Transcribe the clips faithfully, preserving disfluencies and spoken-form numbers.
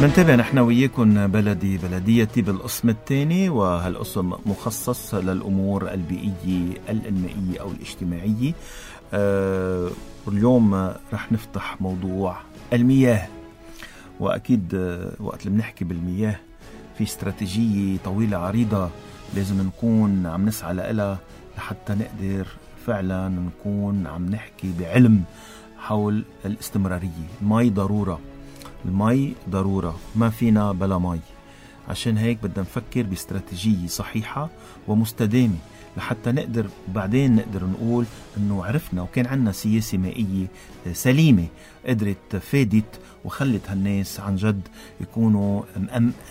منتابع نحن وياكم بلدي بلديتي بالقسم الثاني، وهالقسم مخصص للأمور البيئية الإنمائية أو الاجتماعية. أه واليوم رح نفتح موضوع المياه، وأكيد وقت اللي بنحكي بالمياه في استراتيجية طويلة عريضة لازم نكون عم نسعى لها لحتى نقدر فعلا نكون عم نحكي بعلم حول الاستمرارية. المي ضرورة، المي ضرورة، ما فينا بلا مي. عشان هيك بدنا نفكر باستراتيجية صحيحة ومستدامة لحتى نقدر بعدين نقدر نقول انه عرفنا وكان عنا سياسة مائية سليمة قدرت فادت وخلت هالناس عن جد يكونوا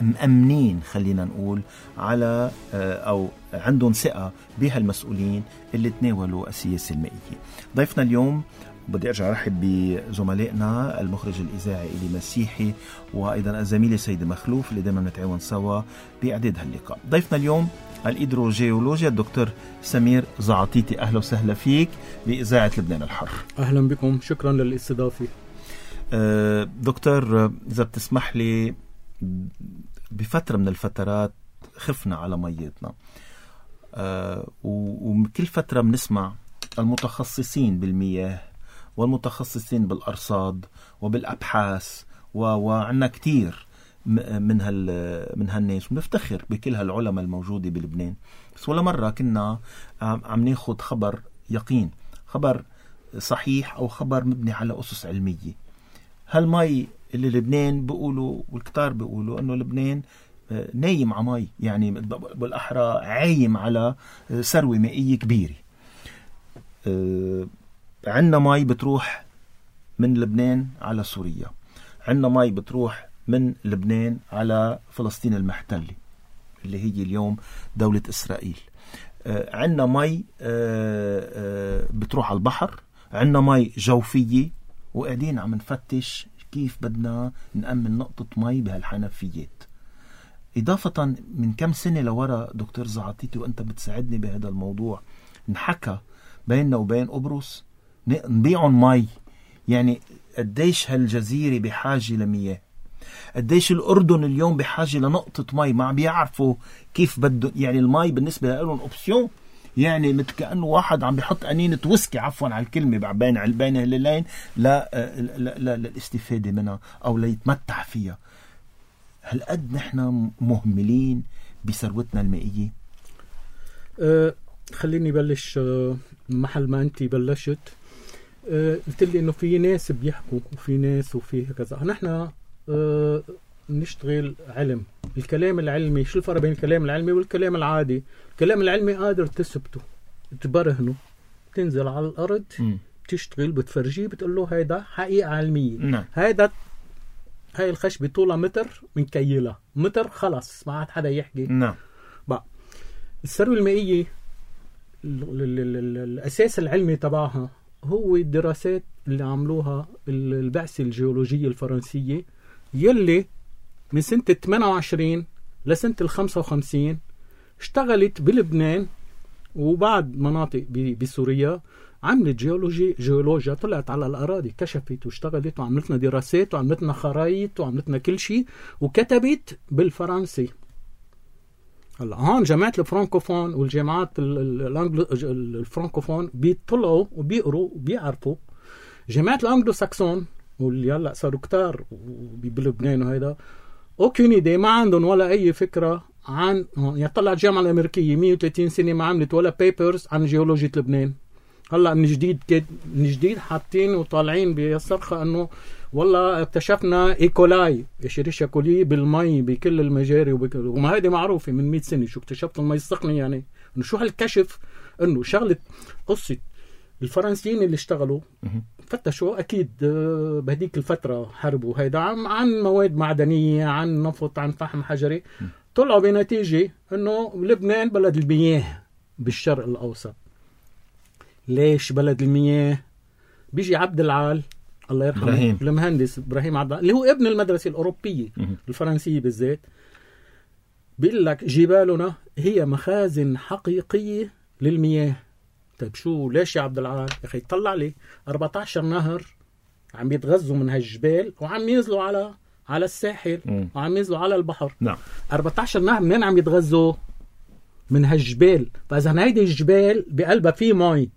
مأمنين، خلينا نقول على او عندهم ثقة بهالمسؤولين اللي تناولوا السياسة المائية. ضيفنا اليوم بدي أرجع أرحب بزملائنا المخرج الإذاعي إلي مسيحي، وأيضا الزميلة سيدة مخلوف اللي دائما نتعاون سوا بإعداد هاللقاء. ضيفنا اليوم الإيدروجيولوجيا الدكتور سمير زعطيتي. أهلا وسهلا فيك بإذاعة لبنان الحر. أهلا بكم، شكرا للاستضافة. أه دكتور، إذا بتسمح لي، بفترة من الفترات خفنا على ميتنا، أه وكل فترة بنسمع المتخصصين بالمياه والمتخصصين بالأرصاد وبالأبحاث وعنا كتير من هال من هالناس، ونفتخر بكل هالعلماء الموجودة بلبنان. بس ولا مرة كنا عم ناخد خبر يقين، خبر صحيح أو خبر مبني على أسس علمية. هالمي اللي لبنان بيقولوا والكتار بيقولوا أنه لبنان نايم على مي، يعني بالأحرى عايم على ثروة مائية كبيرة. أه عندنا مي بتروح من لبنان على سوريا، عندنا مي بتروح من لبنان على فلسطين المحتلة اللي هي اليوم دولة إسرائيل. أه عندنا مي أه أه بتروح على البحر، عندنا مي جوفية، وقاعدين عم نفتش كيف بدنا نأمن نقطة مي بهالحنفيات. إضافة من كم سنة لورا دكتور زعطيتي وأنت بتساعدني بهذا الموضوع، نحكى بيننا وبين قبرص نبيعون مي. يعني قديش هالجزيرة بحاجة لمياه، قديش الأردن اليوم بحاجة لنقطة مي، ما بيعرفوا كيف بده. يعني المي بالنسبة لهم أوبسيون، يعني مثل كأنه واحد عم بيحط أنينة ويسكي، عفوا على الكلمة، بين بين هالليلين لا للاستفادة منها أو ليتمتع فيها. هل قد نحن مهملين بثروتنا المائية؟ أه خليني بلش محل ما أنت بلشت. أه قلت لي إنه في ناس بيحكوا وفي ناس وفي كذا. نحن أه نشتغل علم. الكلام العلمي، شو الفرق بين الكلام العلمي والكلام العادي؟ الكلام العلمي قادر تثبته، تبرهنه، تنزل على الأرض، م. تشتغل، بتفرجيه، بتقول له هيدا حقيقة علمية. نعم. هيدا هاي الخشبة طولها متر من كيلة متر، خلاص ما عاد حدا يحكي. نعم. بقى الثروة المائية الأساس العلمي تبعها هو الدراسات اللي عملوها البعثة الجيولوجية الفرنسية، يلي من سنة ثمانية وعشرين لسنة الخمسة وخمسين اشتغلت بلبنان وبعد مناطق بسوريا، عملت جيولوجي جيولوجيا، طلعت على الأراضي، كشفت واشتغلت وعملتنا دراسات وعملتنا خرايط وعملتنا كل شيء، وكتبت بالفرنسي. هلا هون جامعة الفرانكوفون والجامعات الفرانكوفون بيطلعوا وبيقروا وبيعرفوا. جامعة الأنجلو ساكسون واللي هلا صاروا كتار بلبنان وهيدا اوكين ايدي، ما عندهم ولا اي فكرة عن، يعني طلعت الجامعة الأمريكية مية وثلاثين سنة ما عملت ولا بيبرز عن جيولوجية لبنان. هلا من جديد كده من جديد حاطين وطالعين بالصرخة انه والله اكتشفنا ايكولاي، اشيريشيا كولي بالمي بكل المجاري وبكل، وما هذه معروفة من مئة سنة. شو اكتشفت المي السخنة؟ يعني انه شو هالكشف، انه شغلة قصة الفرنسيين اللي اشتغلوا فتشوا اكيد بهديك الفترة حرب وهيدا عن مواد معدنية، عن نفط، عن فحم حجري، طلعوا بنتيجة انه لبنان بلد المياه بالشرق الاوسط. ليش بلد المياه؟ بيجي عبد العال الله يرحمه إبراهيم. المهندس إبراهيم عبد العال اللي هو ابن المدرسة الأوروبية الفرنسية بالذات، بيقول لك جبالنا هي مخازن حقيقية للمياه. طيب شو ليش يا عبد العال؟ يا أخي طلع لي أربعة عشر نهر عم يتغذوا من هالجبال وعم ينزلوا على على الساحل مم. وعم ينزلوا على البحر. نعم. أربعة عشر نهر منين عم يتغذوا؟ من هالجبال. فإذا هيدي الجبال بقلبها في مي،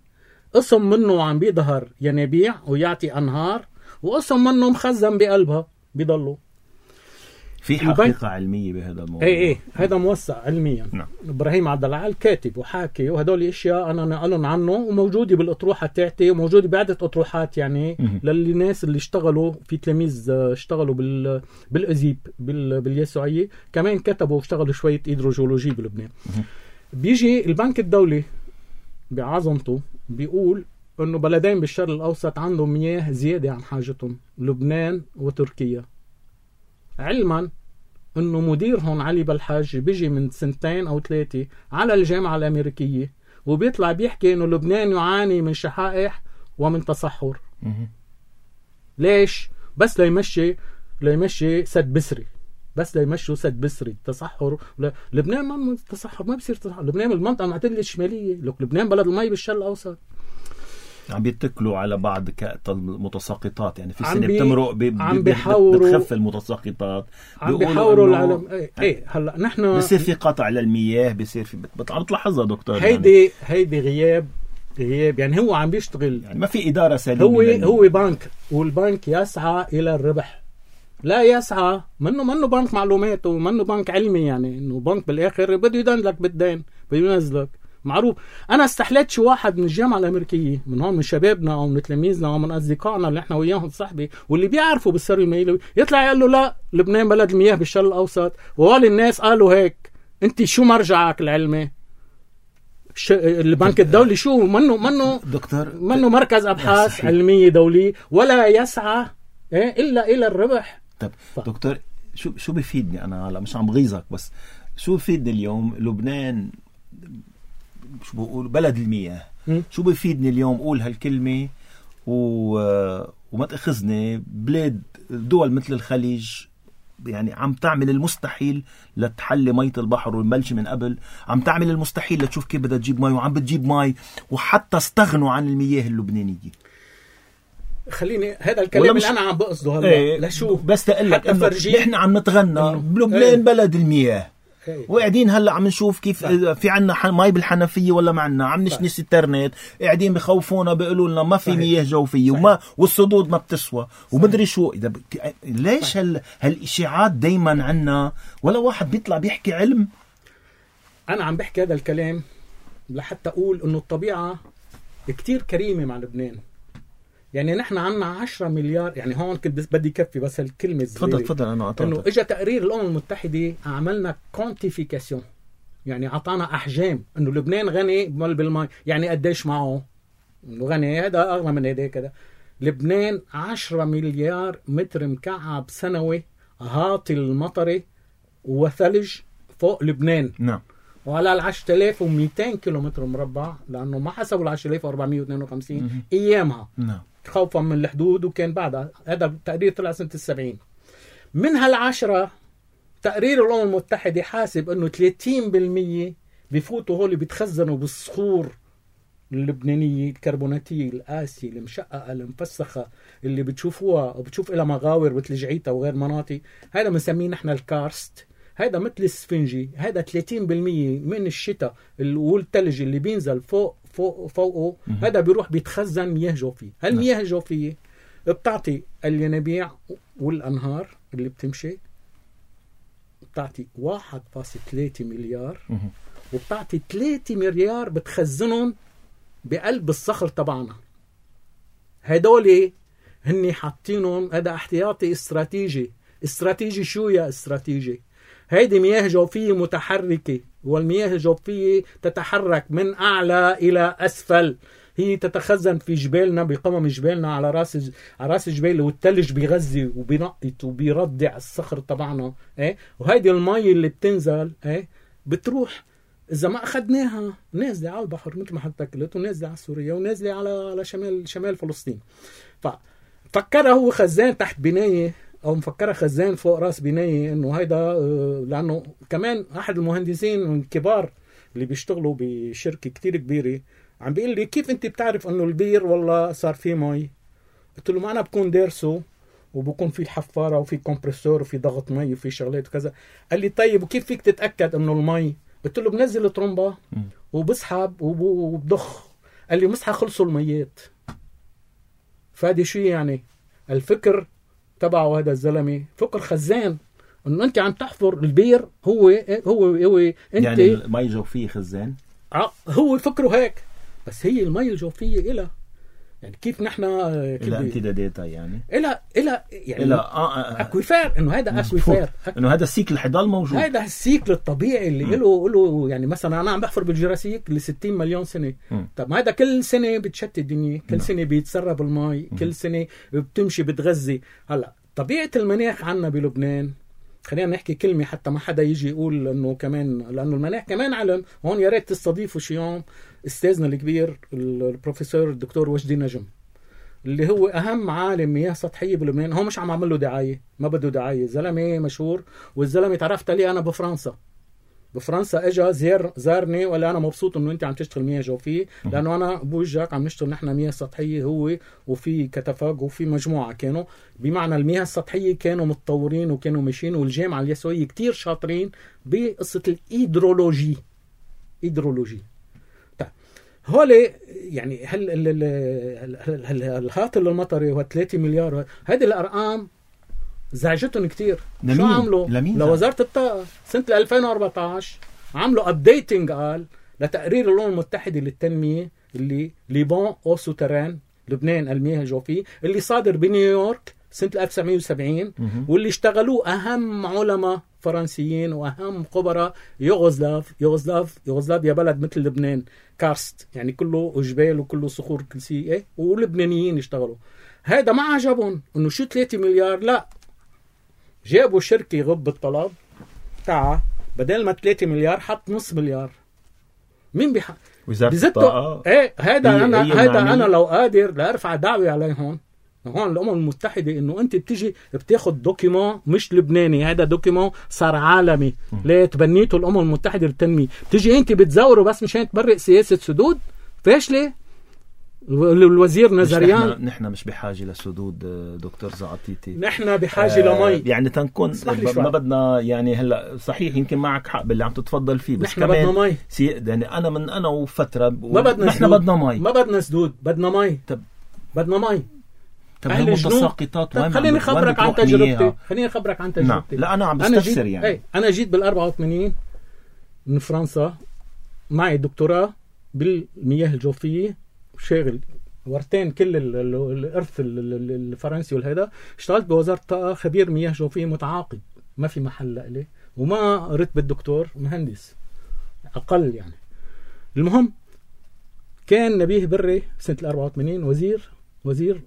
قسم منه عم بيظهر ينابيع ويعطي أنهار، وقسم منه مخزن بقلبها بيضلوا. في حقيقة علمية بهذا الموضوع. ايه ايه هذا موثق علميا. نعم. ابراهيم عبد العال كاتب وحاكي، وهدول اشياء انا نقلن عنه وموجوده بالاطروحه تاعتي، وموجوده بعده اطروحات يعني للناس اللي اشتغلوا في تلاميذ اشتغلوا بال بالازيب بال... باليسوعيه، كمان كتبوا واشتغلوا شويه هيدروجيولوجي بلبنان. بيجي البنك الدولي بعظمته بيقول انه بلدين بالشرق الاوسط عندهم مياه زياده عن حاجتهم، لبنان وتركيا، علما انه مديرهم علي بالحاج بيجي من سنتين او ثلاثه على الجامعه الامريكيه وبيطلع بيحكي انه لبنان يعاني من شحائح ومن تصحر. ليش؟ بس ليمشي ليمشي سد بسري، بس ليمشوا سد بسري. تصحر ل... لبنان ما تصحر، ما بصير تصحر. لبنان المنطقه المعتدله الشماليه، لك لبنان بلد المي بالشرق الاوسط. عم بيتكلوا على بعض المتساقطات، يعني في سنة بي... بتمرق ب... عم بيحاوروا بتخف المتساقطات، عم بيحاوروا العالم. ايه, ايه هلا نحن بصير في قطع للمياه، بصير في بتعرض تلاحظها دكتور. هيدي يعني. هيدي غياب غياب يعني هو عم بيشتغل، يعني ما في إدارة سليمة. هو هو بنك، والبنك يسعى إلى الربح، لا يسعى منه منه بنك معلومات ومنه بنك علمي، يعني انه بنك بالاخر بده يدندلك بالدين، بده ينزلك. معروف. انا استحليت شي واحد من الجامعه الامريكيه، من هون من شبابنا او من تلاميذنا او من اصدقائنا اللي احنا وياهم صاحبي واللي بيعرفوا بالسر الميلوي، يطلع يقول له لا لبنان بلد المياه بالشرق الاوسط، وقال الناس قالوا هيك. انت شو مرجعك العلمي؟ ش... البنك الدولي شو منه منه دكتور منه مركز ابحاث علميه دولي، ولا يسعى إيه الا الى الربح. طب ف... دكتور شو شو بيفيدني انا هلا؟ مش عم بغيظك، بس شو بيفيدني اليوم لبنان شو بقول بلد المياه؟ م? شو بيفيدني اليوم اقول هالكلمه و... وما تاخذني بلاد دول مثل الخليج يعني عم تعمل المستحيل لتحلي مية البحر والملش من قبل، عم تعمل المستحيل لتشوف كيف بدها تجيب مي، وعم بتجيب مي، وحتى استغنوا عن المياه اللبنانية. خليني هذا الكلام اللي انا عم بقصده هلا ايه لشوف بس تقول لك انه نحن عم نتغنى بلبنان ايه بلد المياه ايه. وقاعدين هلا عم نشوف كيف لا. في عنا مي بالحنفيه ولا ما عنا، عم نشنس انترنت، قاعدين بخوفونا بيقولوا لنا ما في مياه جوفيه وما والصدود ما بتسوى ومدري شو. اذا ب... ليش هال... هالاشاعات دايما عنا ولا واحد بيطلع بيحكي علم؟ انا عم بحكي هذا الكلام لحتى اقول انه الطبيعه كتير كريمه مع لبنان. يعني نحن عنا عشرة مليار، يعني هون كنت بس بدي كفي بس الكلمة الزبيرة. تفضل تفضل أنا قطعتك. إنه إجا تقرير الأمم المتحدة عملنا كونتيفيكاسيون، يعني عطانا أحجام إنه لبنان غني بالماء، يعني قديش معه إنه غني، هذا أغلى من هذا كذا. لبنان عشرة مليار متر مكعب سنوي هاطل المطري وثلج فوق لبنان. نعم. وعلى العشرة آلاف ومئتين كيلومتر مربع، لأنه ما حسبوا العشرة آلاف وأربعمية واثنين وخمسين أيامها. نعم. خوفا من الحدود، وكان بعدها هذا التقرير طلع سنة السبعين. من هالعشرة تقرير الأمم المتحدة حاسب أنه ثلاثين بالمية بيفوتوا هولي بيتخزنوا بالصخور اللبنانية الكربوناتية القاسية المشققة المفسخة اللي بتشوفوها وبتشوف إلى مغاور مثل جعيتا وغير مناطق. هذا بنسميه نحن الكارست، هذا مثل السفنجي. هذا ثلاثين بالمية من الشتاء والثلج اللي بينزل فوق فوق فوقه هذا بيروح بيتخزن مياه جوفية. هالمياه الجوفية بتعطي الينابيع والأنهار اللي بتمشي، بتعطي واحد فاصلة ثلاثة مليار، وبتعطي ثلاثة مليار بتخزنهم بقلب الصخر تبعنا. هدول هني حاطينهم، هذا احتياطي استراتيجي. استراتيجي شو يا استراتيجي؟ هيدي مياه جوفية متحركة، والمياه الجوفية تتحرك من أعلى إلى أسفل. هي تتخزن في جبالنا، بقمم جبالنا، على راس على راس الجبال، والثلج بيغذي وبينقط وبيردع الصخر تبعنا. إيه؟ وهيدي المي اللي بتنزل إيه؟ بتروح إذا ما أخذناها نازلة على البحر مثل ما حضرتك قلت، ونازلة على سوريا، ونازلة على على شمال شمال فلسطين. ففكرها هو خزان تحت بناية، او مفكرة خزان فوق راس بناية، انه هيدا لانه كمان احد المهندسين الكبار اللي بيشتغلوا بشركة كتير كبيرة عم بيقول لي كيف انت بتعرف انه البير والله صار فيه مي؟ قلت له ما انا بكون دارسه وبكون في الحفاره وفي كومبريسور وفي ضغط مي وفي شغلات وكذا. قال لي طيب وكيف فيك تتاكد انه المي؟ قلت له بنزل طرمبه وبسحب وبضخ. قال لي مسحه خلصوا الميات. فادي شو يعني الفكر تبعه هذا الزلمه؟ فكر خزان، انه انت عم تحفر البير. هو هو هو انت يعني المي الجوفيه خزان. هو فكره هيك، بس هي المي الجوفيه إلها يعني كيف نحن إلى امتداداتها يعني إلى إلى يعني إلى آه أكويفير، إنه هذا أكويفير، إنه هذا السيكل حيضل موجود. هذا السيكل الطبيعي اللي له له يعني مثلا أنا عم بحفر بالجراسيك ل ستين مليون سنة. م. طب هذا كل سنة بتشتت الدنيا، كل م. سنة بيتسرب الماء، كل سنة بتمشي بتغذي. هلا طبيعة المناخ عنا بلبنان، خلينا نحكي كلمة حتى ما حدا يجي يقول انه كمان، لانه المناخ كمان علم. هون يا ريت تستضيفوا شي يوم استاذنا الكبير البروفيسور الدكتور وجدي نجم، اللي هو اهم عالم مياه سطحيه بلبنان. هو مش عم اعمل له دعايه، ما بده دعايه، زلمه مشهور. والزلمه تعرفت عليه انا بفرنسا. بفرنسا اجى زير زارني وقال انا مبسوط انه انت عم تشتغل مياه جوفيه، لانه انا بوجهك عم نشتغل نحن مياه سطحيه، هو وفي كتفاق وفي مجموعه كانوا بمعنى المياه السطحيه كانوا متطورين وكانوا ماشيين، والجامعه اليسوعيه كتير شاطرين بقصه الهيدرولوجي. هيدرولوجي طيب هولي يعني هل الهاطل المطري هو ثلاثة مليار. هذه الارقام زعجتهم كتير. شو عملوا؟ لوزارة الطاقة سنة ألفين وأربعة عشر عملوا ابديتنج قال لتقرير الأمم المتحدة للتنمية اللي ليبون او سوتران لبنان المياه الجوفية اللي صادر بنيويورك سنة ألف وتسعمية وسبعين، واللي اشتغلوه أهم علماء فرنسيين وأهم خبراء يوغوسلاف. يوغوسلاف يوغوسلافيا بلد مثل لبنان كارست، يعني كله جبال وكله صخور كل شيء ايه، ولبنانيين يشتغلوا. هذا ما عجبهم انه شو ثلاثة مليار، لا جابوا شركة يغب الطلب تاعها بدل ما ثلاثة مليار حط نص مليار. مين بيح وزارة الطاقة؟ ايه هذا انا هذا انا لو قادر لارفع دعوة عليهم هون الأمم المتحدة إنه أنت بتيجي بتاخد دوكيمون مش لبناني، هذا دوكيمون صار عالمي. ليه تبنيته الأمم المتحدة للتنمية؟ بتيجي أنت بتزوره بس مشان تبرئ سياسة سدود فاشلة. الوزير نزريان نحن, نحن مش بحاجة لسدود دكتور زعطيتي، نحن بحاجة آه لمي. يعني تنكون ما بدنا يعني هلا صحيح يمكن معك حق باللي عم تتفضل فيه، بس نحن كمان بدنا مي. سي يعني أنا من أنا وفترة ما بدنا نحن بدنا مي، ما بدنا سدود، بدنا مي. طب بدنا مي. طب هالمتساقطات وين؟ خليني خبرك عن تجربتي. خليني خبرك عن تجربتي. نعم. لا أنا عم بستفسر يعني. ايه أنا جيت بالأربعة وثمانين من فرنسا معي دكتوراه بالمياه الجوفية، شاغل ورتين كل الارث الفرنسي والهيدا. اشتغلت بوزارة الطاقة خبير مياه جوفية متعاقد، ما في محل لي، وما رتبة دكتور، مهندس اقل يعني. المهم كان نبيه بري سنة الأربعة وثمانين وزير وزير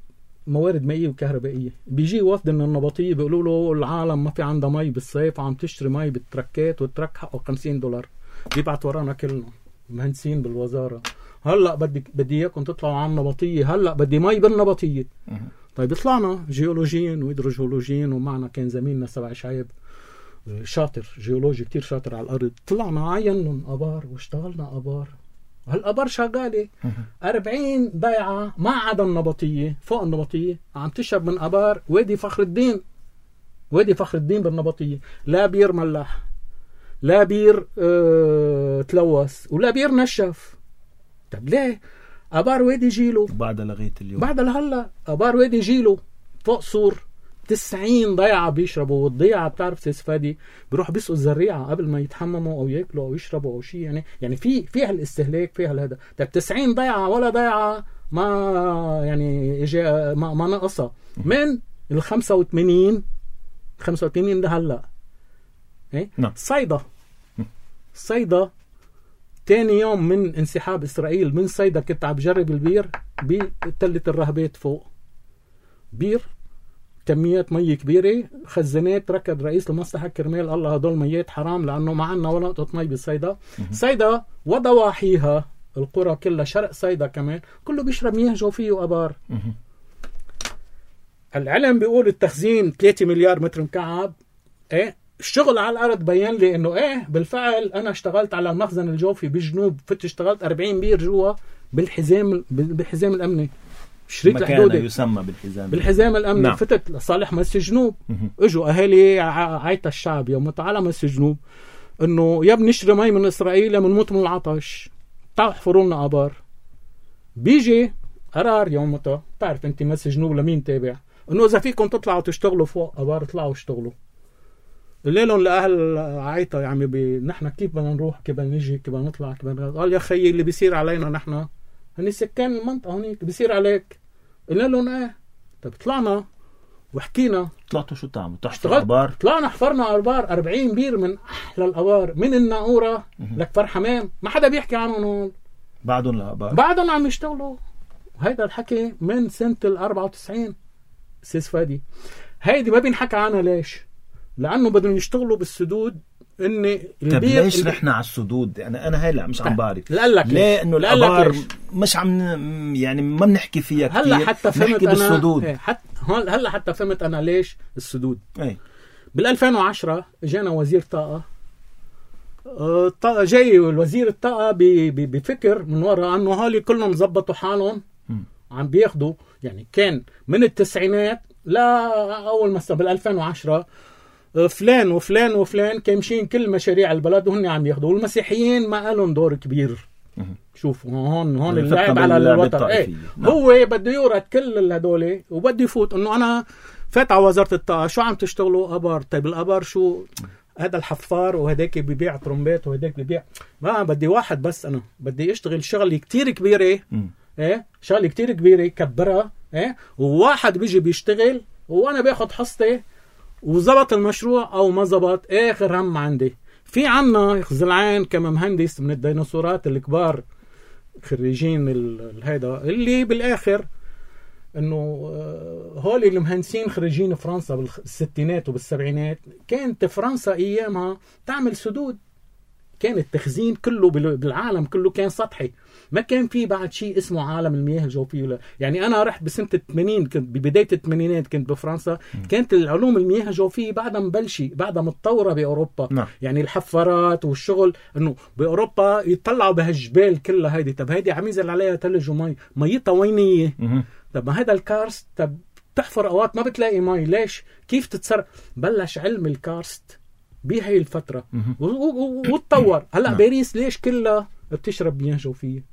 موارد مائية وكهربائية. بيجي وفد من النبطية بيقولوا له العالم ما في عندها مي بالصيف وعم تشتري مي بالتركات، والترك حقه خمسين دولار. بيبعت ورانا كلنا مهندسين بالوزارة، هلا بدي بدي اياكم تطلعوا على النبطيه، هلا بدي مي بالنبطيه. طيب طلعنا جيولوجيين وهيدروجيولوجيين، ومعنا كان زميلنا سبع شعيب شاطر جيولوجي كتير شاطر على الارض. طلعنا عينن ابار واشتغلنا ابار. هالابار شغاله أربعين ضيعه ما عدا النبطيه، فوق النبطيه عم تشرب من ابار وادي فخر الدين. وادي فخر الدين بالنبطيه لا بير ملح، لا بير اه تلوث، ولا بير نشف. طب ليه؟ ابار وادي جيلو بعد لغايه اليوم، بعد لهلا ابار وادي جيلو فوق سور تسعين ضيعه بيشربوا. والضيعه بتعرف سيس فادي بيروح بيسقوا الزريعه قبل ما يتحمموا او ياكلوا او يشربوا او شيء، يعني يعني في فيها الاستهلاك فيها هذا. طب تسعين ضيعه ولا ضيعه ما يعني اجى ما, ما نقصها من ال خمسة وثمانين خمسة وثمانين لهلا. ايه نعم. صيدا صيدا تاني يوم من انسحاب إسرائيل من صيدا كنت عم بجرب البير بتلة الرهبات فوق. بير كميات مي كبيرة، خزانات ركض رئيس المصلحة كرمال الله هدول ميات حرام لأنه ما عنا ولا نقطة مي بصيدا. صيدا وضواحيها القرى كلها شرق صيدا كمان كله بيشرب مياه جوفية وأبار. العلم بيقول التخزين ثلاثة مليار متر مكعب. ايه الشغل على الارض بيان لي انه ايه بالفعل انا اشتغلت على المخزن الجوفي بالجنوب، فت اشتغلت أربعين بير جوا بالحزام بالحزام الامني. شريط الحدودي يسمى بالحزام بالحزام الامني. نعم. فتت لصالح مس جنوب. اجوا اهالي عايت الشعب يوم على مس جنوب انه يا بنشري مي من اسرائيل يا بنموت من العطش، تعالوا احفروا لنا ابار. بيجي قرار يومتها، بتعرف انت مس جنوب لمين تابع، انه اذا فيكم تطلعوا تشتغلوا فوق ابار اطلعوا اشتغلوا. قلنا لهم لاهل عايطه يا عمي بي... نحن كيف بدنا نروح، كيف بدنا نجي، كيف بدنا نطلع، كيف بدنا. قال يا خيي اللي بيصير علينا نحن هني سكان المنطقه هونيك بيصير عليك. قلنا لهم ايه. طيب طلعنا وحكينا. طلعتوا شو تعملوا؟ تحفروا ابار؟ طلعنا حفرنا ابار أربعين بير من احلى الابار من الناقوره لكفر حمام، ما حدا بيحكي عنهم هون. بعدهم الابار بعدهم عم يشتغلوا. هيدا الحكي من سنه الأربعة وتسعين سيس فادي. هيدي ما بينحكى عنها ليش؟ لانه بدهم يشتغلوا بالسدود. اني طب ليش رحنا على السدود؟ يعني انا هلا مش عم بعرف ليه انه الابار مش عم يعني ما بنحكي فيها كثير. هلا حتى فهمت انا بالسدود. ايه حتى هلا حتى فهمت انا ليش السدود. ايه بال ألفين وعشرة اجانا وزير طاقه. اه جاي الوزير الطاقه بفكر من وراء انه هالي كلهم زبطوا حالهم عم بياخدوا. يعني كان من التسعينات لا اول ما بال ألفين وعشرة فلان وفلان وفلان كامشين كل مشاريع البلد وهن عم ياخذوا، والمسيحيين ما لهم دور كبير. شوفوا هون هون اللعب على الوتر. ايه هو بده يورد كل هدول وبده يفوت انه انا فات على وزاره الطاقه شو عم تشتغلوا ابار. طيب الابار شو؟ هذا الحفار وهداك بيبيع ترومبات وهداك بيبيع. ما بدي واحد بس، انا بدي اشتغل شغله كتير كبيره. ايه شغله كتير كبيره كبرها. ايه وواحد بيجي بيشتغل وانا باخذ حصتي وزبط المشروع او ما زبط اخر هم عندي. في عنا خزلعان كما مهندس من الديناصورات الكبار خريجين هيدا اللي بالاخر انه هول المهندسين خريجين فرنسا بالستينات وبالسبعينات. كانت فرنسا ايامها تعمل سدود، كان التخزين كله بالعالم كله كان سطحي، ما كان في بعد شيء اسمه عالم المياه الجوفية. يعني أنا رحت بسنة الثمانين، كنت ببداية الثمانينات كنت بفرنسا. م. كانت العلوم المياه الجوفية بعدها مبلشة، بعدها متطورة بأوروبا. م. يعني الحفارات والشغل إنه بأوروبا يطلعوا بهالجبال كلها هيدي. طب هيدي عم ينزل عليها ثلج ومي، ميتها وينية. طب ما هذا الكارست، طب تحفر أوقات ما بتلاقي مي، ليش؟ كيف تتصرف؟ بلش علم الكارست بهي الفترة وتطور. هلأ باريس ليش كلها بتشرب مياه جوفية؟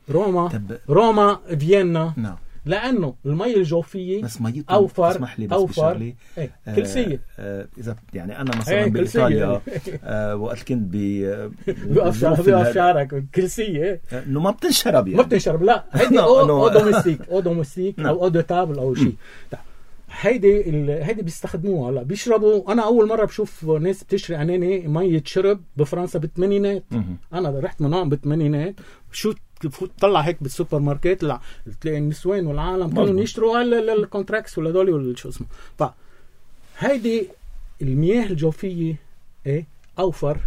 روما روما فيينا نعم. لأنه المي الجوفية بس مية أوفر اسمح لي بس أوفر ايه كلسية. آه إذا يعني أنا مثلا ايه بإيطاليا آه وقت كنت بيقف شعرك كلسية إنه ما بتنشرب يعني ما بتنشرب. لا هيدي أو دوميستيك أو دوميستيك أو أو دو تابل أو شيء. هيدي هيدي بيستخدموها هلا بيشربوا. انا اول مره بشوف ناس بتشري اناني ميه شرب بفرنسا بالثمانينات. انا رحت من هون بالثمانينات شو تطلع هيك بالسوبر ماركت لا تلاقي النسوان والعالم كانوا يشتروا الكونتراكس ولا دولي ولا شو اسمه. فهيدي المياه الجوفيه ايه اوفر.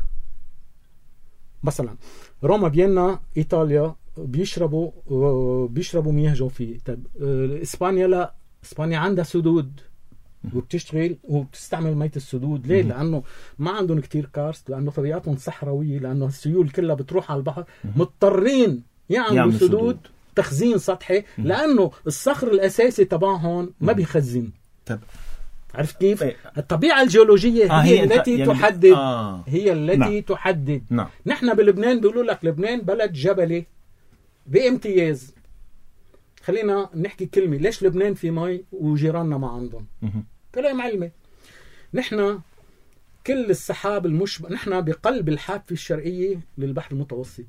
مثلا روما فيينا ايطاليا بيشربوا بيشربوا مياه جوفيه. طيب اسبانيا لا، اسبانيا عندها سدود وبتشتغل وبتستعمل مية السدود. ليه؟ لانه ما عندهم كتير كارست، لانه طبيعتهم صحراويه، لانه السيول كلها بتروح على البحر. مضطرين يعملوا سدود, سدود تخزين سطحي لانه الصخر الاساسي تبعهم ما بيخزن. طب عرفت كيف؟ الطبيعه الجيولوجيه آه هي التي يعني تحدد آه. هي التي نعم. تحدد نعم. نحن بلبنان بيقولوا لك لبنان بلد جبلي بامتياز. خلينا نحكي كلمة، ليش لبنان في مي وجيراننا ما عندهم؟ كلام علمي. نحن كل السحاب المشبع، نحن بقلب الحافة الشرقية للبحر المتوسط.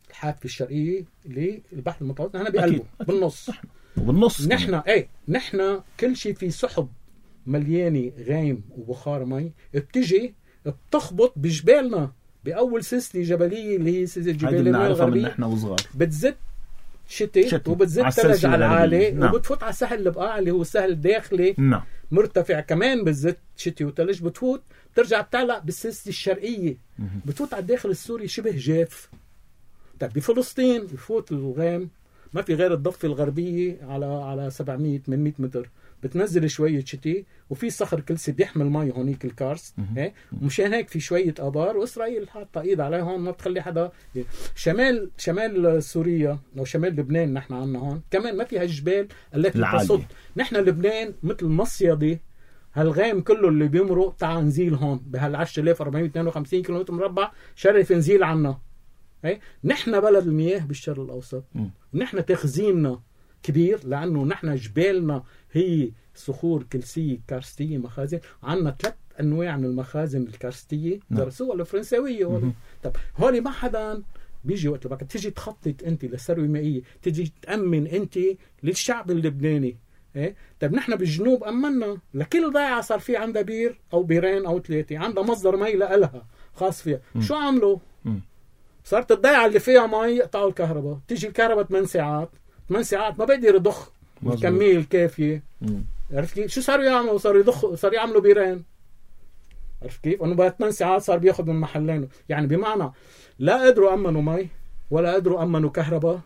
الحافة الشرقية للبحر المتوسط نحن بقلبه بالنص. بالنص نحن ايه نحن كل شيء في سحب مليانة غيم وبخار مي بتجي بتخبط بجبالنا بأول سلسلة جبلية اللي هي سلسلة جبال الغربية. نحن وصغار بتزت شتي وبتزت ثلج على العالي. نعم. وبتفوت على السهل البقاع اللي هو السهل الداخلي. نعم. مرتفع كمان بتزت شتي وثلج. بتفوت بترجع بتعلق بالسلسلة الشرقية. بتفوت على الداخل السوري شبه جاف. طيب بفلسطين بفوت الغام ما في غير الضفة الغربية على على سبعمية ثمانمية متر، بتنزل شوية شتي، وفي صخر كلسي بيحمل مي هونيك الكارست، ايه مشان هيك في شوية آبار، وإسرائيل حاطة إيد عليها هون ما بتخلي حدا. شمال شمال سوريا أو شمال لبنان نحن عنا هون كمان ما فيها الجبال التي تصد. نحن لبنان مثل مصيدة، هالغيم كله اللي بيمرق تعال نزيل هون بهال عشرة آلاف وأربعمية واثنين وخمسين كيلومتر مربع شرف نزيل عنا. ايه نحن بلد المياه بالشرق الأوسط، ونحن تخزيننا كبير لأنه نحن جبالنا هي صخور كلسية كارستية مخازن. عنا ثلاث أنواع من المخازن الكارستية درسوها الفرنساوية. طب هولي ما حدا بيجي وقت لبعك تيجي تخطط أنت للثروة مائية، تيجي تأمن أنت للشعب اللبناني. إيه؟ طب نحن بالجنوب أمنا لكل ضيعة صار في عندها بير أو بيرين أو ثلاثة، عندها مصدر مي لها خاص فيها. م. شو عملوا؟ م. صارت الضيعة اللي فيها مي يقطعوا الكهرباء، تيجي الكهرباء ثمان ساعات ثمان ساعات ما بيقدر يضخ الكمية الكافية. عرفت كيف؟ شو صاروا يعملوا؟ صاروا يضخوا، صاروا يعملوا بيرين. عرفت كيف؟ انه بعد ثمان ساعات صار بياخذ من محلين. يعني بمعنى لا قدروا امنوا مي ولا قدروا امنوا كهرباء،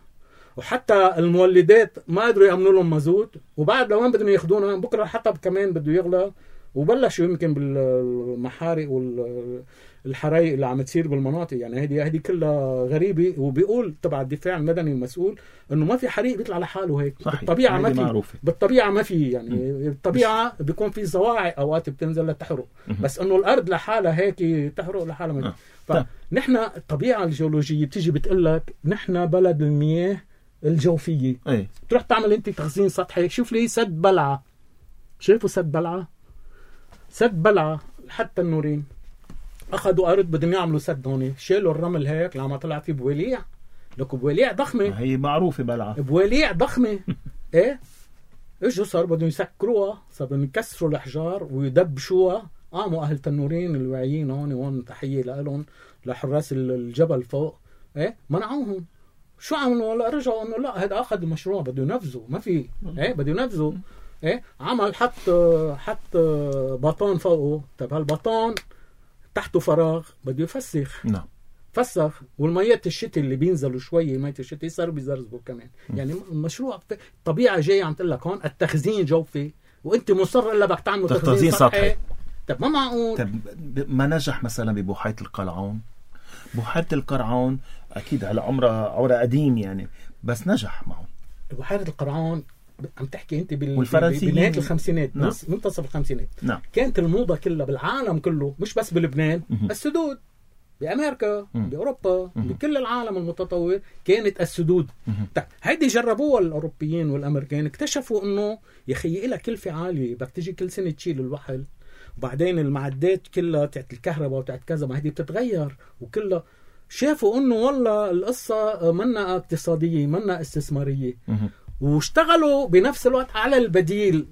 وحتى المولدات ما قدروا يامنوا لهم مازوت، وبعد لو وين بدهم ياخذونا بكره الحطب كمان بده يغلى، وبلشوا يمكن بالمحارق والحرايق اللي عم تصير بالمناطق. يعني هذه هذه كلها غريبه. وبيقول تبع الدفاع المدني المسؤول انه ما في حريق بيطلع لحاله هيك. صحيح. بالطبيعه ما في معروفة. بالطبيعه ما في يعني م. بالطبيعه بيكون في زواعق اوقات بتنزل لتحرق، بس انه الارض لحالها هيك تحرق لحالها ما في. فنحن الطبيعه الجيولوجيه بتيجي بتقول لك نحن بلد المياه الجوفيه. أي. تروح تعمل انت تخزين سطحي. شوف لي سد بلعه، شايفوا سد بلعه؟ سد بلعه حتى النورين اخذوا ارض بدهم يعملوا سد هون، شالوا الرمل هيك لما طلع فيه بواليع. لك بواليع ضخمه، هي معروفه بلعه، بواليع ضخمه. ايه اجوا صار بدهم يسكروها، صار بدهم يكسروا الاحجار ويدبشوها. قاموا اهل تنورين الواعيين هون، وهون تحيه لهم لحراس الجبل فوق، ايه منعوهم. شو عملوا؟ ولا رجعوا انه لا هذا اخذ المشروع بده ينفذوا، ما في ايه بده ينفذوا. ايه عمل حط حط بطان فوقه. طب هالبطان تحته فراغ بده يفسخ. نعم فسخ، والميات الشتاء اللي بينزلوا شويه ميات الشتاء صاروا بيزرزبوا كمان. م. يعني المشروع الطبيعه جايه عم تقول لك هون التخزين جوفي، وانت مصر الا بدك تعمل تخزين سطحي. طب ما معقول. طب ما نجح مثلا ببحيره القرعون؟ بحيره القرعون اكيد على عمرها عمرها قديم يعني، بس نجح معه. بحيره القرعون عم تحكي انت بال... بنهايه الخمسينات. نعم. منتصف الخمسينات. نعم. كانت الموضه كلها بالعالم كله، مش بس بلبنان، م- السدود بأمريكا، م- بأوروبا، م- بكل العالم المتطور كانت السدود. طيب هيدي جربوها الأوروبيين والأمريكان، اكتشفوا انه يا اخي لها كلفة عالية، بدك تيجي كل سنة تشيل الوحل، وبعدين المعدات كلها تاعت الكهرباء وتاعت كذا ما هذه بتتغير وكلها. شافوا انه والله القصة منا اقتصادية منا استثمارية، واشتغلوا بنفس الوقت على البديل.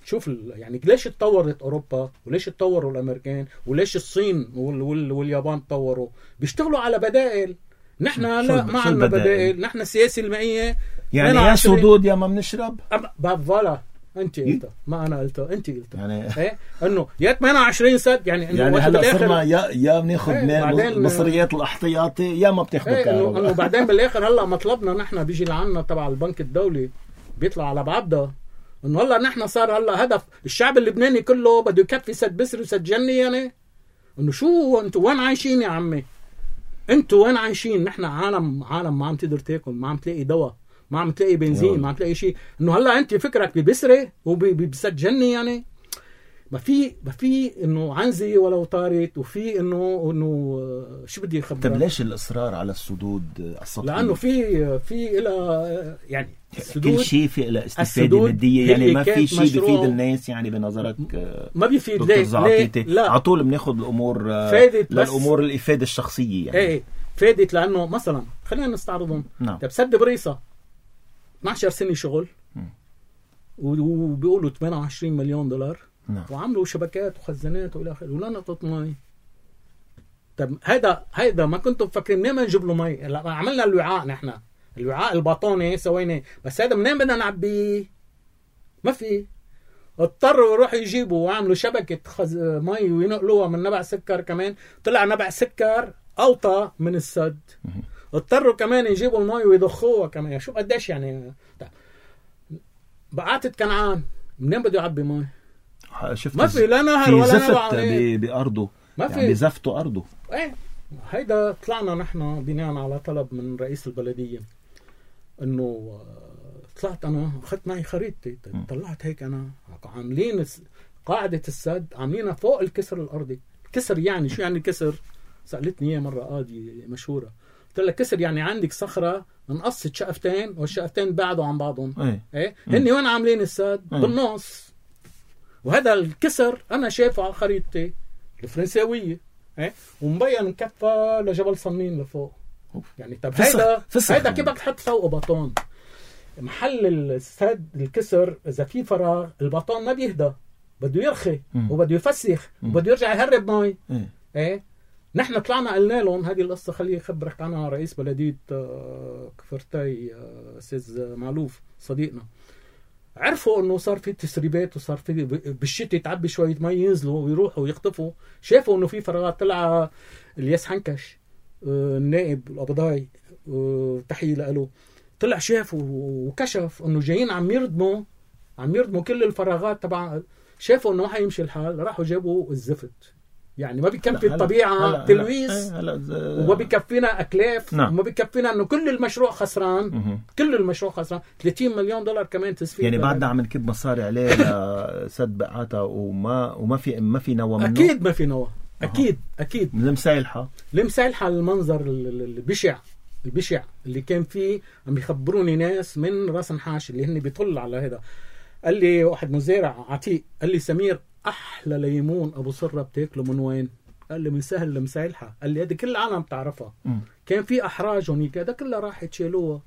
شوف يعني ليش اتطورت أوروبا وليش اتطوروا الأمريكان وليش الصين وال وال واليابان تطوروا؟ بيشتغلوا على بدائل. نحن لا ما عندنا بدائل. نحن السياسة المائية يعني يا سدود يا ما بنشرب. فوالا انت قلتها ما انا قلتها، انت قلتها. يعني ايه انه يا ثمانية وعشرين سد يعني انه يعني هلا صرنا يا يا بناخذ من مصريات الاحتياطي يا ما بتاخذ ايه كهرباء. انه بعدين بالاخر هلا مطلبنا نحن بيجي لعنا تبع البنك الدولي بيطلع على بعضها انه هلا نحن صار هلا هدف الشعب اللبناني كله بده يكفي سد بسر وسد جني. يعني انه شو انتوا وين عايشين يا عمي؟ انتوا وين عايشين؟ نحن عالم عالم ما عم تقدر تاكل، ما عم تلاقي دواء، ما عم تلاقي بنزين، ما عم تلاقي شيء. انه هلا انت فكرك ببسره وبسد جني؟ يعني ما في ما في انه عنزه ولو طارت، وفي انه انه شو بدي اخبرك. طب ليش الاصرار على السدود السطحيه؟ لانه في في الى يعني كل شيء في له استفاده ماديه، يعني ما في شيء بيفيد الناس يعني بنظرك؟ ما بيفيد. ليه؟ لا على طول بناخذ الامور للامور الافاده الشخصيه يعني. ايه فادت لانه مثلا خلينا نستعرضهم. نعم. طب سد بريصه اثني عشر سنه شغل وبيقولوا ثمانية وعشرين مليون دولار. نعم. وعملوا شبكات وخزانات والى اخره ولا نقطه مي. طب هذا هذا ما كنتم مفكرين منين ما نجيب له مي؟ عملنا الوعاء نحن الوعاء الباطوني سوينا، بس هذا منين بدنا نعبيه؟ ما في. اضطروا يروحوا يجيبوا وعملوا شبكه خز... مي وينقلوها من نبع سكر. كمان طلع نبع سكر اوطى من السد، اضطروا كمان يجيبوا المي ويضخوها كمان. شو قديش يعني. بقعة كنعان منين بده يعبي مي؟ شفت ما في لا نهر ولا نبع بأرضه، ما في يعني بزفتوا أرضه. ايه هيدا طلعنا نحن بناء على طلب من رئيس البلدية انه طلعت انا اخذت معي خريطتي، طلعت هيك انا عاملين قاعدة السد عاملينها فوق الكسر الارضي. كسر يعني شو يعني كسر؟ سألتني اياه مرة قاضية مشهورة، قلت لها كسر يعني عندك صخرة انقصت شقفتين والشقفتين بعدوا عن بعضهم. ايه, ايه؟ هني وين عاملين السد؟ ايه؟ بالنص. وهذا الكسر انا شايفه على خريطتي الفرنساوية، ايه؟ ومبين كفة لجبل صنين لفوق. يعني طب هيدا هيدا كيف بدك تحط فوقه بطون؟ محل السد الكسر اذا في فراغ البطون ما بيهدى، بده يرخي وبده يفسخ وبده يرجع يهرب مي. ايه, ايه؟ نحن طلعنا قلنا لهم هذه القصة، خليه يخبرك عنها رئيس بلدية كفرتاي أستاذ معلوف صديقنا. عرفوا انه صار في تسريبات وصار في بالشتاء تعبي شوية مي ينزلوا ويروحوا ويخطفوا. شافوا انه في فراغات. طلع الياس حنكش النائب القبضاي تحية له، طلع شاف وكشف انه جايين عم يردموا عم يردموا كل الفراغات تبع. شافوا انه ما حيمشي الحال، راحوا جابوا الزفت. يعني ما بيكفي الطبيعة تلويث وما بيكفينا أكلاف. نعم. وما بيكفينا أنه كل المشروع خسران. مه. كل المشروع خسران. ثلاثين مليون دولار كمان تسفير. يعني بعدنا عم نكب مصاري عليه لسد بقعتها وما وما في ما في نوى منه. أكيد ما في نوى. أكيد أه. أكيد. لمسايلحة لمسايلحة المنظر البشع البشع اللي كان فيه. عم يخبروني ناس من راس نحاش اللي هن بيطل على هذا. قال لي واحد مزارع عتيق، قال لي سمير أحلى ليمون أبو صرة بتاكله من وين؟ قال لي من سهل لمسايلحة. قال لي هذه كل العالم بتعرفها. م. كان في أحراج هنيك هذا كلها راح تشيلوها.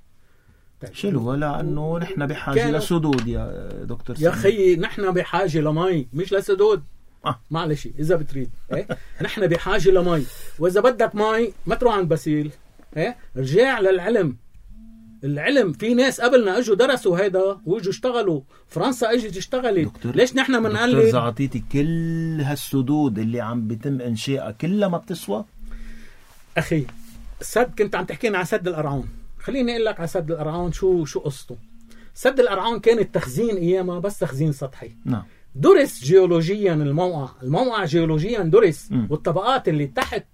شيلوها لأنه نحن بحاجة لسدود يا دكتور يا خيي. نحن بحاجة لمي مش لسدود. آه. معلش إذا بتريد. إيه؟ نحن بحاجة لمي، وإذا بدك مي ما تروح عند بسيل. إيه؟ رجع للعلم. العلم في ناس قبلنا اجوا درسوا هيدا واجوا اشتغلوا. فرنسا اجت اشتغلت. ليش نحن بنقلد؟ دكتور زعطيتي كل هالسدود اللي عم بيتم انشائها كلها ما بتسوى اخي. السد كنت عم تحكينا عن سد القرعون، خليني اقول لك على سد القرعون شو شو قصته. سد القرعون كان التخزين ايامها بس تخزين سطحي. نعم. درس جيولوجيا الموقع، الموقع جيولوجيا درس. م. والطبقات اللي تحت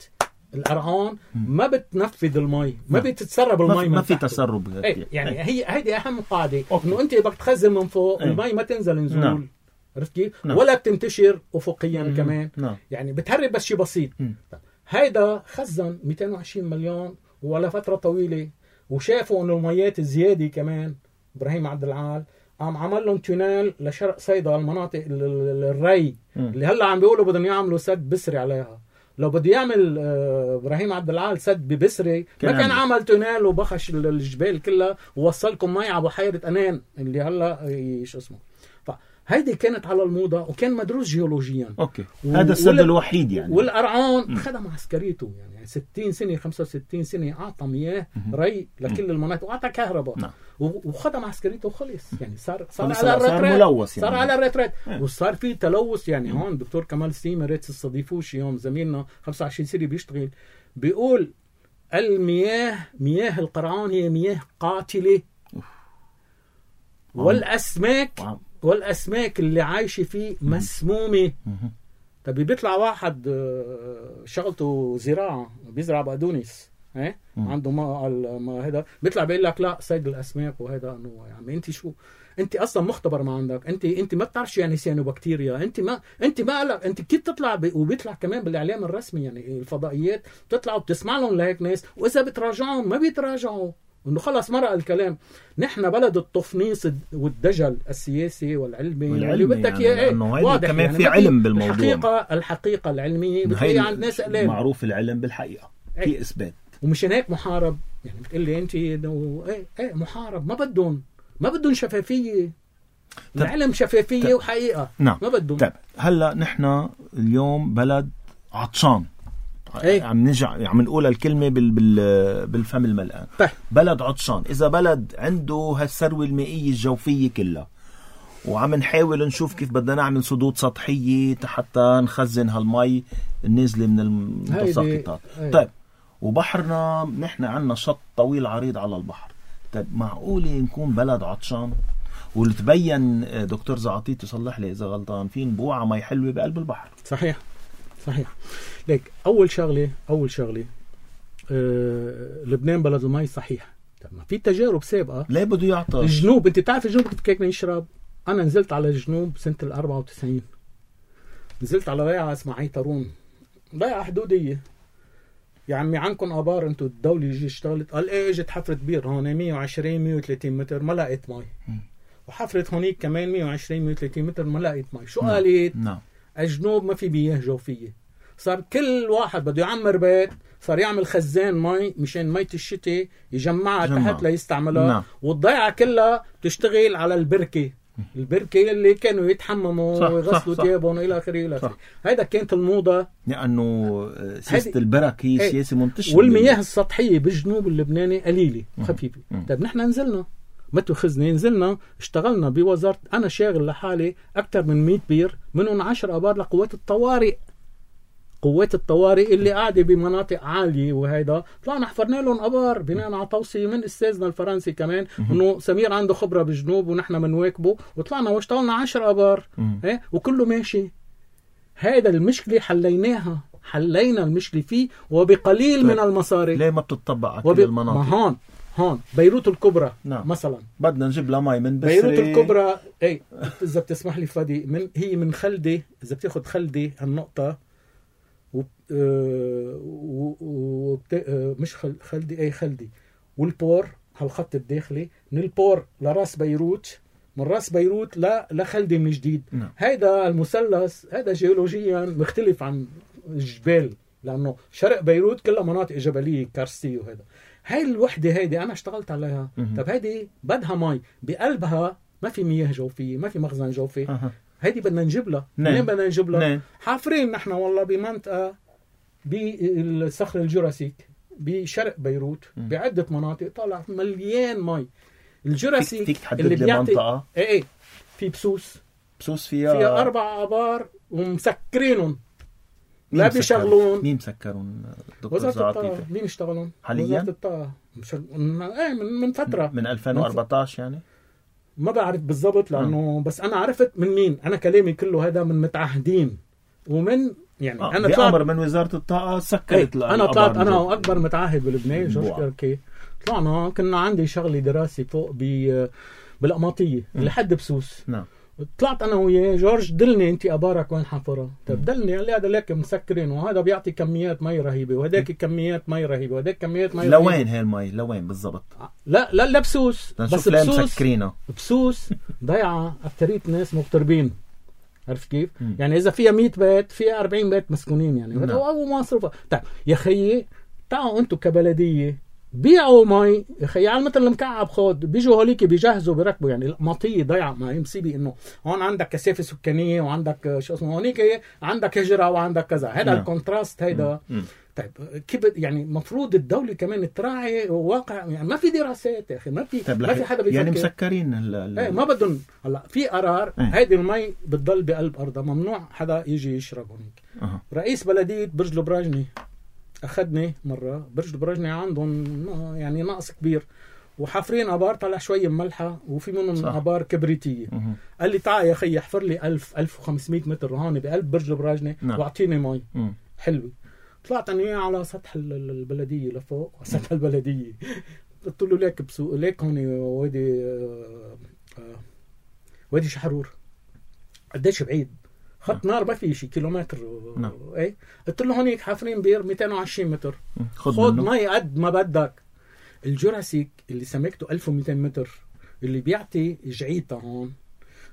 القرعون ما بتنفذ المي، ما بتتسرب المي، ما في تسرب. ايه يعني ايه. هي هيدي اهم قاعده، انه انت بدك تخزن من فوق. ايه. المي ما تنزل نزول. نعم. عرفت كيف؟ نعم. ولا بتنتشر افقيا. مم. كمان. نعم. يعني بتهرب بس شيء بسيط. مم. هيدا خزن مئتين وعشرين مليون ولا فتره طويله، وشافوا انه الميات الزياده كمان. ابراهيم عبد العال عم عمل لهم تونيل لشرق صيدا، المناطق الري. مم. اللي هلا عم بيقولوا بدهم يعملوا سد بسري عليها. لو بده يعمل ابراهيم عبد العال سد ببسري ما كان عمل تونيل وبخش الجبال كلها ووصلكم مي على بحيره انان اللي هلا شو اسمه. فهيدي كانت على الموضه وكان مدروس جيولوجيا. اوكي. و... هذا السد وال... الوحيد يعني. والقرعون خدم عسكريته يعني ستين سنه خمسة وستين سنه اعطى مياه ري لكل المناطق واعطى كهرباء. نعم. وخدم عسكريته وخلص يعني. صار صار على الريتريت. صار ملوث يعني. صار على الريتريت. وصار في تلوث يعني. هون دكتور كمال سيما ريت تستضيفوش يوم زميلنا خمسة وعشرين سنه بيشتغل بيقول المياه مياه القرعون هي مياه قاتله. والاسماك والاسماك اللي عايشه فيه مسمومه. طب بيطلع واحد شغلته زراعه بيزرع بقدونس، ايه عنده ما ما هذا بيطلع بيقول لك لا صيد الاسماك وهذا انه يا عمي انت شو انت اصلا مختبر ما عندك. انت انت ما بتعرف يعني سيانوبكتيريا. انت ما انت ما لك انت كيف تطلع ب... وبيطلع كمان بالاعلام الرسمي يعني الفضائيات بتطلع وبتسمع لهم لهيك ناس، واذا بتراجعهم ما بيتراجعوا انه خلص مرق الكلام. نحن بلد التفنيص والدجل السياسي والعلمي واللي بدك اياه. يعني واضح كمان يعني في علم بالموضوع. الحقيقه الحقيقه العلميه بتلاقي عند ناس قليل. معروف العلم بالحقيقه في ايه. اثبات. ومشان هيك محارب يعني. بتقول لي انت انه ايه ايه محارب. ما بدهم ما بدهم شفافيه. العلم شفافيه طب. وحقيقه. نعم. ما بدهم. طيب هلا نحن اليوم بلد عطشان. ايه؟ عم نرجع عم نقول الكلمه بال بال بالفم الملآن. طيب. بلد عطشان. اذا بلد عنده هالثروه المائيه الجوفيه كلها وعم نحاول نشوف كيف بدنا نعمل سدود سطحيه حتى نخزن هالمي النازله من المتساقطات. طيب وبحرنا نحن عنا شط طويل عريض على البحر. طيب معقولة نكون بلد عطشان واللي تبين دكتور زعاطيط يصلح لي إذا غلطان في نبوعة مي حلوة بقلب البحر؟ صحيح صحيح. ليك أول شغلة أول شغلة أه لبنان بلد المي صحيح. طب ما في تجارب سابقة. ليه بده يعطش؟ الجنوب أنت تعرف الجنوب كيف كيف يشرب؟ أنا نزلت على الجنوب سنة الأربعة وتسعين، نزلت على ضيعة اسمها عيطرون، ضيعة حدودية. يا عمي عنكم آبار انتو الدولة يجي اشتغلت؟ قال ايه اجت حفرة بير هون مية وعشرين مية وثلاثين متر ما لقيت مي، وحفرة هونيك كمان مية وعشرين مية وثلاثين متر ما لقيت مي. شو قالت؟ نعم. الجنوب ما في مياه جوفية، صار كل واحد بده يعمر بيت صار يعمل خزان مي مشان مية الشتاء يجمعها جمع. تحت ليستعملها. نعم. والضيعة كلها تشتغل على البركة، البركة اللي كانوا يتحمموا ويغسلوا ثيابهم والى اخره الى اخره. هيدا كانت الموضة لانه سياسة البركة هي سياسة منتشرة، والمياه السطحية بالجنوب اللبناني قليلة وخفيفة. طيب نحن نزلنا ما تأخذني نزلنا اشتغلنا بوزارة، انا شاغل لحالي اكثر من مية بير، منهم عشر ابار لقوات الطوارئ، قوات الطوارئ اللي قاعدة بمناطق عالية. وهيدا طلعنا حفرنا لهم ابار بناء على توصية من استاذنا الفرنسي كمان انه سمير عنده خبرة بالجنوب ونحن منواكبه، وطلعنا واشتغلنا عشر ابار ايه وكله ماشي. هيدا المشكلة حليناها، حلينا المشكلة فيه وبقليل طيب. من المصاري. ليه ما بتطبق على وب... كل المناطق؟ ما هون هون بيروت الكبرى نعم. مثلا بدنا نجيب لها مي من بسري. بيروت الكبرى اي اذا بتسمح لي فادي، من هي من خلدي، اذا بتاخد خلدي هالنقطة و... و... و... مش خل... خلدي اي خلدي والبور هالخط الداخلي، من البور لراس بيروت، من راس بيروت ل... لخلدي من جديد. نعم. هيدا المثلث هيدا جيولوجيا مختلف عن الجبال، لانه شرق بيروت كلها مناطق جبليه كارستيه. وهذا هاي الوحده هيدي انا اشتغلت عليها. طب هيدي بدها مي بقلبها، ما في مياه جوفيه، ما في مخزن جوفي. أه. هيدي بدنا نجيب لها. منين بدنا نجيب لها؟ حافرين نحن والله بمنطقه بالصخر الجوراسيك بشرق بيروت بعده مناطق طالع مليان مي. الجوراسيك فيك تحدد اللي لي منطقه؟ ايه ايه في بسوس بسوس فيها فيها اربع ابار ومسكرينهم لا بيشغلون. مين مسكرون دكتور زعاطيط؟ مين يشتغلون حاليا؟ وزارة الطاقة مش... ايه من, من فترة من ألفين وأربعتاشر يعني ما بعرف بالضبط لأنه م. بس أنا عرفت من مين. أنا كلامي كله هذا من متعهدين ومن يعني آه. أنا طلعت بأمر من وزارة الطاقة سكرت. ايه أنا طلعت أنا وأكبر متعهد بلبنان جورج كيركي. طلعنا كنا عندي شغلة دراسي فوق ب بالقماطية لحد بسوس. نعم. طلعت انا وياه جورج دلني انت ابارك وين حفرها. طب دلني قال لي هذا لك مسكرين وهذا بيعطي كميات مي رهيبه وهداك كميات مي رهيبه وهداك كميات مي رهيبه. لوين هي المي لوين بالضبط؟ لا لا لا بسوس بس بسوس مسكرينها. بسوس ضيعه اكثريه ناس مغتربين. عرفت كيف؟ م. يعني اذا فيها مية بيت فيها أربعين بيت مسكونين يعني. نعم. او مصروفه. طيب يا خيي تعالوا انتم كبلديه بيعوا مي يا خي على مثل المكعب خود بيجوا هوليك بيجهزوا بيركبوا. يعني المطيه ضيعه ما هي مصيبه انه هون عندك كثافه سكانيه وعندك شو اسمه هونيك عندك هجره وعندك كذا. هذا الكونتراست هيدا. طيب كيف يعني مفروض الدوله كمان تراعي واقع. يعني ما في دراسات يا اخي ما في ما في حدا بيفكر. يعني مسكرين ال ايه ما بدهم. هلا في قرار هيدي المي بتضل بقلب ارضها ممنوع حدا يجي يشرب هونيك. أه. رئيس بلديه برج البراجني أخذني مرة برج البراجني عندهم يعني نقص كبير وحافرين أبار طلع شوية ملحة وفي منهم أبار كبريتية. مه. قال لي تعال يا خي احفر لي ألف ألف وخمسمية متر هون بقلب برج البراجني. نعم. واعطيني مي. مه. حلوة. طلعت أنا على سطح البلدية لفوق سطح البلدية قلت له ليك بسوق ليك هون وادي وادي شحرور قديش بعيد خط نار ما في شي كيلومتر. نعم. ايه قلت له هونيك حافرين بير مئتين وعشرين متر خد مي قد ما بدك. الجوراسيك اللي سمكته ألف ومئتين متر اللي بيعطي جعيته هون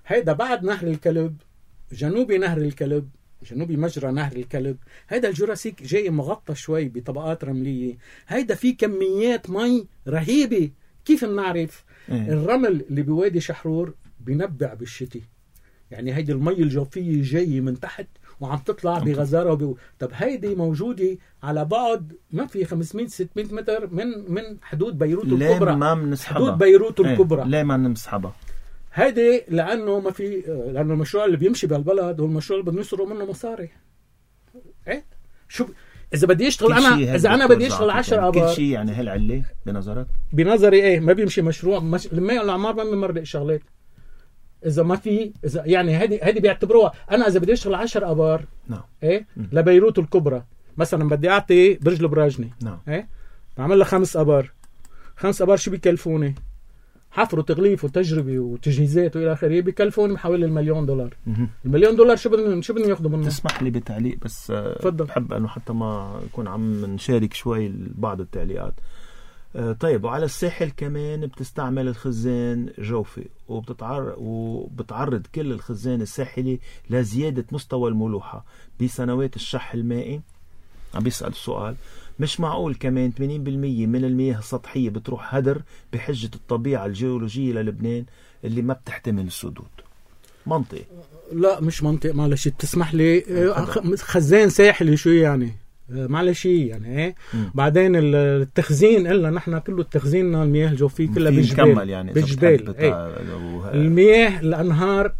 هيدا بعد نهر الكلب جنوبي نهر الكلب جنوبي مجرى نهر الكلب. هيدا الجوراسيك جاي مغطى شوي بطبقات رملية. هيدا فيه كميات مي رهيبة. كيف بنعرف؟ إيه؟ الرمل اللي بوادي شحرور بينبع بالشتي. يعني هيدي المي الجوفية جاية من تحت وعم تطلع بغزارة وب... طب هيدي موجودة على بعد ما في خمسمية ستمية متر من من حدود بيروت الكبرى. ليه ما بنسحبها؟ حدود بيروت الكبرى. ايه؟ ليه ما نسحبها؟ هيدي لأنه ما في لأنه المشروع اللي بيمشي بالبلد هو المشروع اللي بدنا نسرق منه مصاري. ايه شو ب... اذا بدي اشتغل انا اذا انا بدي اشتغل عشر ابار كل شيء يعني هالعله بنظرك؟ بنظري ايه ما بيمشي مشروع مش... لما يقول الاعمار ما بمرق شغلات اذا ما في اذا يعني هذه هذه بيعتبروها انا اذا بدي اشتغل عشر ابار نعم ايه لبيروت الكبرى مثلا بدي اعطي برج البراجني نعم ايه بعمل لها خمس ابار خمس ابار شو بيكلفوني؟ حفر وتغليف وتجربه وتجهيزات والى اخره بيكلفوني حوالي المليون دولار. مم. المليون دولار شو بدهم شو بدهم ياخذوا منه؟ تسمح لي بتعليق بس تفضل. بحب انه حتى ما يكون عم نشارك شوي بعض التعليقات. طيب وعلى الساحل كمان بتستعمل الخزان جوفي وبتتعرض وبتعرض كل الخزان الساحلي لزيادة مستوى الملوحة بسنوات الشح المائي. عم بيسأل السؤال مش معقول كمان ثمانين بالمية من المياه السطحية بتروح هدر بحجة الطبيعة الجيولوجية للبنان اللي ما بتحتمل السدود. منطقي؟ لا مش منطق معلش بتسمح لي خزان ساحلي شو يعني معلش يعني ايه م. بعدين التخزين إلا نحن كله التخزيننا المياه الجوفية كلها بالجبال يعني بالجبال ايه. المياه الأنهار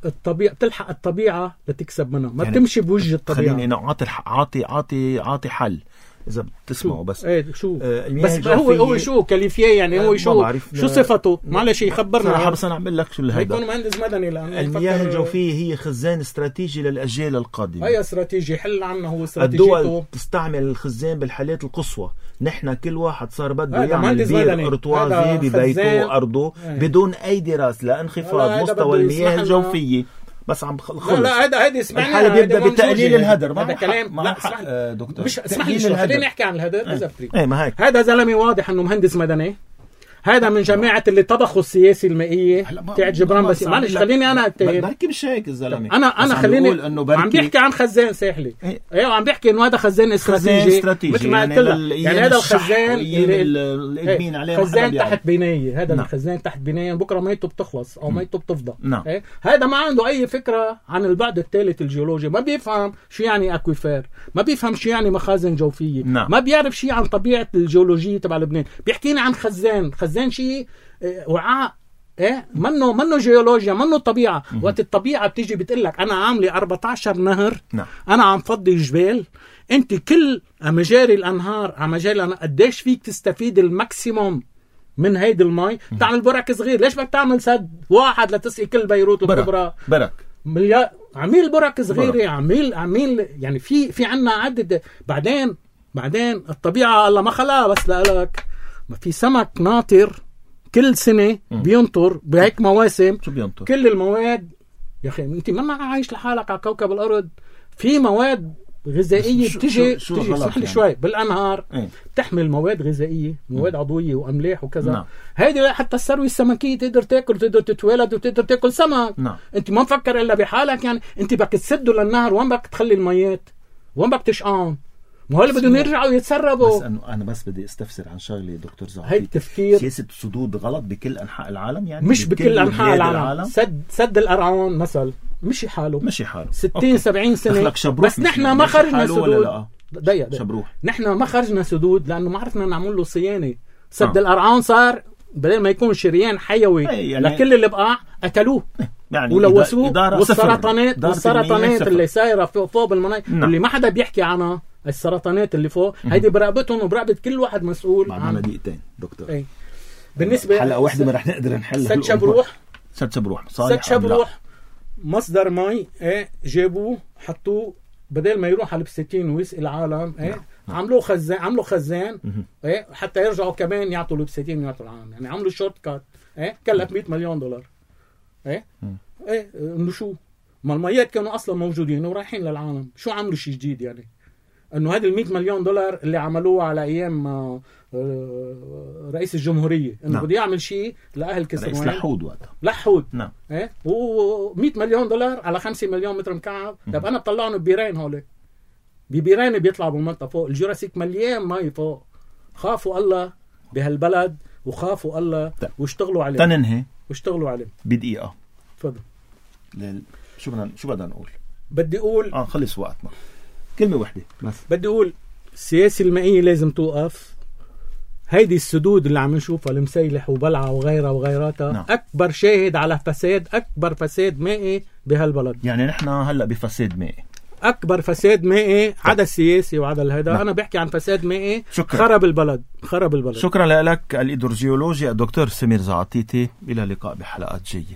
الطبيعة بتلحق الطبيعة لتكسب منها ما يعني بتمشي بوجه الطبيعة. خليني أنا عاطي عاطي عاطي عاطي حل إذا بتسمعوا بس ايه شو آه بس هو هو شو كاليفيه يعني هو شو شو صفته معلش يخبرنا صراحة بس أنا أعمل لك شو الهيدا يكون مهندس مدني لأنه المياه الجوفية هي خزان استراتيجي للأجيال القادمة. أي استراتيجي حل عنه هو استراتيجيته. الدول تستعمل الخزان بالحالات القصوى. نحن كل واحد صار بده يعمل بير ارتوازي ببيته أرضه بدون أي دراسة لانخفاض مستوى المياه الجوفية. بس عم خلص لا لا هذا هذا اسمعني الحالة بيبدأ بتقليل الهدر. هذا كلام لا اسمح آه دكتور مش اسمح لي خلينا نحكي عن الهدر إذا بتريد. ايه ما هيك هذا زلمة واضح إنه مهندس مدني. هذا من جماعة اللي طبخوا السياسي المائية تاعت جبران بس معلش خليني أنا أتهم بحكي مش هيك الزلمة أنا أنا خليني عم بيحكي عن خزان ساحلي ايوه عم بيحكي إنه هذا خزان استراتيجي مثل ما قلت لك يعني هذا الخزان اللي عليه خزان تحت بناية هذا الخزان تحت بناية بكرة ميته بتخلص أو ميته بتفضى هذا ما عنده أي فكرة عن البعد الثالث الجيولوجي ما بيفهم شو يعني أكويفير ما بيفهم شو يعني مخازن جوفية ما بيعرف شيء عن طبيعة الجيولوجية تبع لبنان بيحكينا عن خزان خزان شيء وعاء ايه منه منه جيولوجيا منه طبيعه. وقت الطبيعه بتيجي بتقول لك انا عامله أربعة عشر نهر نعم. انا عم فضي جبال انت كل مجاري الانهار على مجاري الانهار قديش فيك تستفيد الماكسيموم من هيدي المي تعمل برك صغير. ليش بدك تعمل سد واحد لتسقي كل بيروت الكبرى برك مليار عميل برك صغيره عميل عميل يعني في في عنا عدد. بعدين بعدين الطبيعه الله ما خلاها بس لك ما في سمك ناطر كل سنة بينطر بهيك مواسم كل المواد يا أخي أنت ما عايش لحالك على كوكب الأرض في مواد غذائية بتيجي بتيجي اسمح لي يعني. شوي بالأنهار ايه؟ بتحمل مواد غذائية مواد م. عضوية وأملاح وكذا نعم. هيدي حتى الثروة السمكية تقدر تاكل وتقدر تتولد وتقدر تاكل سمك نعم. أنت ما مفكر إلا بحالك يعني أنت بدك تسده للنهر وين بدك تخلي الميات وين بدك تشقان ما هو اللي بدهم يرجعوا يتسربوا. بس انه انا بس بدي استفسر عن شغله دكتور زعفي هيك تفكير سياسه السدود غلط بكل انحاء العالم يعني مش بكل انحاء العالم. العالم سد سد القرعون مثلا مشي حاله مشي حاله ستين سبعين سنه بس نحن ما خرجنا سدود ضيق شبروح نحن ما خرجنا سدود لانه ما عرفنا نعمل له صيانه. سد آه. القرعون صار بدل ما يكون شريان حيوي يعني لكل اللي بقع قتلوه يعني ولوثوه والسرطانات والسرطانات اللي سايره فوق بالمناطق نعم. اللي ما حدا بيحكي عنها السرطانات اللي فوق هيدي برقبتهم وبرقبة كل واحد مسؤول معنا دقيقتين دكتور ايه. بالنسبة حلقة واحدة ما رح نقدر نحلها. سد شبروح سد شبروح سد شبروح مصدر مي ايه جابوه حطوه بدل ما يروح على البستين ويسقي العالم ايه نعم. عملوا خزان عملوا خزان ايه حتى يرجعوا كمان يعطوا البستين ويعطوا العالم يعني عملوا شورت كات ايه كلف مئة مليون دولار ايه ايه انه شو ما الميات كانوا اصلا موجودين ورايحين للعالم شو عملوا شيء جديد يعني انه هذه المئة مليون دولار اللي عملوه على ايام رئيس الجمهورية انه نعم. بده يعمل شيء لاهل كسروان رئيس لحود وقتها لحود نعم ايه و100 مليون دولار على خمسة مليون متر مكعب. طب انا بطلعهم ببيرين هول ببيرين بيطلعوا بالمنطقه فوق الجوراسيك مليان مي فوق. خافوا الله بهالبلد وخافوا الله طيب. واشتغلوا عليه تننهي واشتغلوا عليه بدقيقه تفضل لل... شو بدنا شو بدنا نقول بدي اقول اه خلص وقتنا كلمة واحدة بس بدي أقول السياسة المائية لازم توقف. هيدي السدود اللي عم نشوفها المسيلح وبلعة وغيرها وغيراتها نعم. أكبر شاهد على فساد أكبر فساد مائي بهالبلد. يعني نحن هلأ بفساد مائي اكبر فساد مائي عدا السياسي وعدا الهيدا. نعم. انا بحكي عن فساد مائي خرب البلد خرب البلد. شكرا لك الإيدروجيولوجي الدكتور سمير زعاطيتي. الى اللقاء بحلقات جاية.